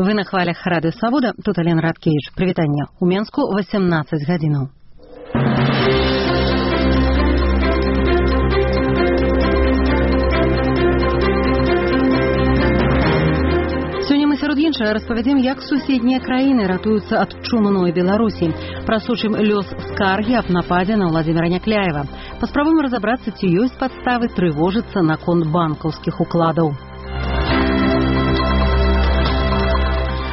Вы на хвалях Радыё Свабода, тут Алена Радкевич. Прывітанне. У Менску 18 гадзінаў. Сёння мы сярод іншага распавядзем, як суседнія краіны ратуюцца ад чумной Беларусі. Прасучым лёс скаргі аб нападзе на Владзіміра Някляева. Паспрабуем разабрацца, ці ёсць падставы трывожыцца наконт банкаўскіх укладаў.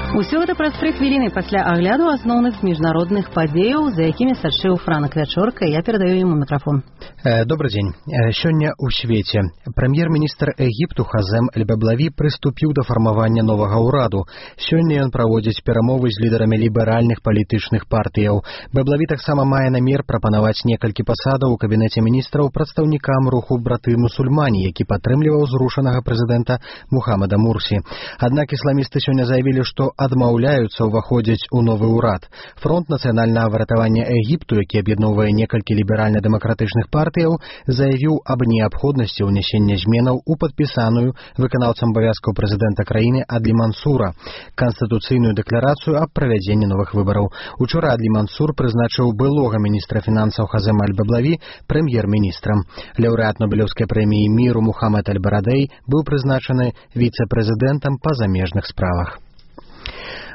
Усё гэта праз 3 хвіліны пасля агляду асноўных міжнародных падзеяў, за якімі сачыў Франак Вячорка. Я перадаю яму мікрафон. Добрый дзень. Сёння ў свеце прэм'ер-міністр Егіпту Хазем Эль-Баблаві прыступіў да фармавання новага ўраду. Сёння ён праводзіць перамовы з лідарамі ліберальных палітычных партыяў. Баблаві таксама мае намер прапанаваць некалькі пасадаў у кабінеце міністраў прадстаўнікам руху браты мусульмане, які падтрымліваў зрушанага прэзідэнта Мухаммада Мурсі. Аднак ісламісты сёння заявілі, што адмаўляюцца ўваходзіць у новы ўрад. Фронт нацыянальнага выратавання Егіпту, які аб'ядноўвае некалькі ліберальна-дэмакратычных партыяў, заявіў аб неабходнасці ўнясення зменаў у падпісаную выканаўцам абавязкаў прэзідэнта краіны Адлі Мансура канстытуцыйную дэкларацыю аб правядзенні новых выбараў. Учора Адлі Мансур прызначыў былога міністра фінансаў Хазема Аль-Баблаві прэм'ер-міністрам. Лаўрэат Нобелеўскай прэміі міру Мухаммад Аль-Барадэй быў прызначаны віцэ-прэзідэнтам па замежных справах.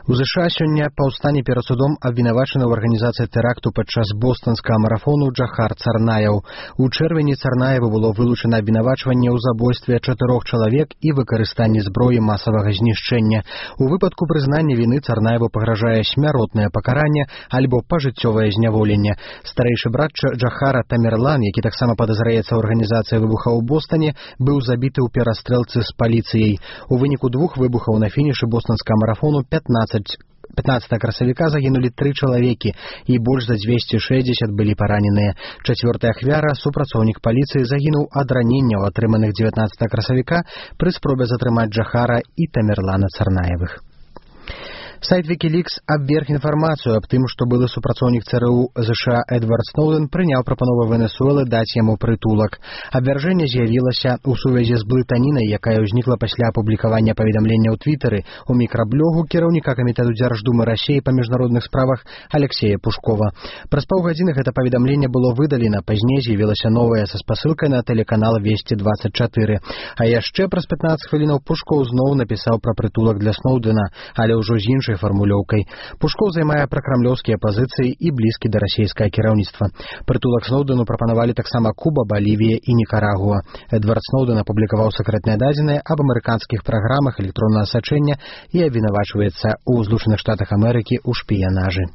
У США сёння паўстане перад судом абвінавачаны ў арганізацыі тэракту падчас бостанскага марафону Джахар Царнаеў. У чэрвені Царнаеву было вылучана абвінавачванне ў забойстве 4 чалавек і выкарыстанні зброі масавага знішчэння. У выпадку прызнання віны Царнаеву пагражае смяротнае пакаранне альбо пажыццёвае зняволенне. Старэйшы брат Джахара Тамерлан, які таксама падазраецца ў арганізацыі выбуха ў Бостане, быў забіты ў перастрэлцы з паліцыяй. У выніку 2 выбухаў на фінішы бостанскага марафону 15 красавіка загінулі 3 чалавекі і больш за 260 былі параненыя. 4-я ахвяра, супрацоўнік паліцыі, загінуў ад раненняў, атрыманых 19 красавіка пры спробе затрымаць Джахара і Тамерлана Царнаевых. Сайт Wikileaks абверг інфармацыю аб тым, што былы супрацоўнік ЦРУ США Эдвард Сноуден прыняў прапанову Венесуэлы даць яму прытулак. Абвяржэнне з'явілася ў сувязі з блытанінай, якая ўзнікла пасля апублікавання паведамлення ў Твітары у мікраблогу кіраўніка камітэту Дзярждумы Расіі па міжнародных справах Алексея Пушкова. Праз паўгадзіны гэта паведамленне было выдалена, пазней з'явілася новае са спасылкай на тэлеканал Весці-24. А яшчэ праз 15 хвілінаў Пушков зноў напісаў пра прытулак для Сноудена, але ўжо з іншай фармулёўкай. Пушков займае пракрамлёўскія пазіцыі і блізкі да расійскае кіраўніцтва. Прытулак Сноудену прапанавалі таксама Куба, Балівія і Нікарагуа. Эдвард Сноуден апублікаваў сакрэтныя дадзеныя аб амерыканскіх праграмах электроннага сачэння і абвінавачваецца ў Злучаных Штатах Амерыкі ў шпіянажы.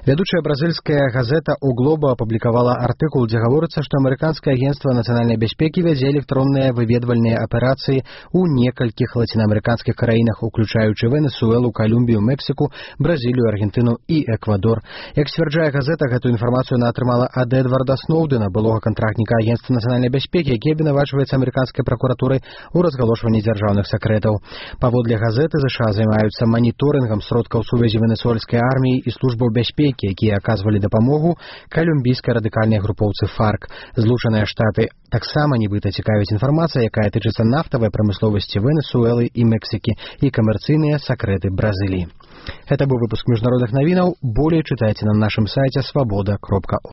Вядучая бразільская газета «У Глоба» апублікавала артыкул, дзе гаворыцца, што амерыканскае агенцтва нацыянальнай бяспекі вядзе электронныя выведвальныя аперацыі ў некалькіх лацінаамерыканскіх краінах, уключаючы Венесуэлу, Калумбію, Мексіку, Бразілію, Аргентыну і Эквадор. Як сцвярджае газета, гэтую інфармацыю яна атрымала ад Эдварда Сноудена, былога кантрактніка агенцтва нацыянальнай бяспекі, які абвінавачваецца амерыканскай пракуратурай у разгалошванні дзяржаўных сакрэтаў. Паводле газеты, США займаюцца маніторынгам сродкаў сувязі венесуэльскай арміі і службаў бяспекі, якія аказвалі дапамогу калумбійскай радыкальнай групоўцы ФАРК. Злучаныя Штаты таксама нібыта цікавіць інфармацыя, якая тычыцца нафтавай прамысловасці Венесуэлы і Мексікі і камерцыйныя сакрэты Бразыліі. Гэта быў выпуск міжнародных навінаў. Болей чытайце на нашым сайце swaboda.org.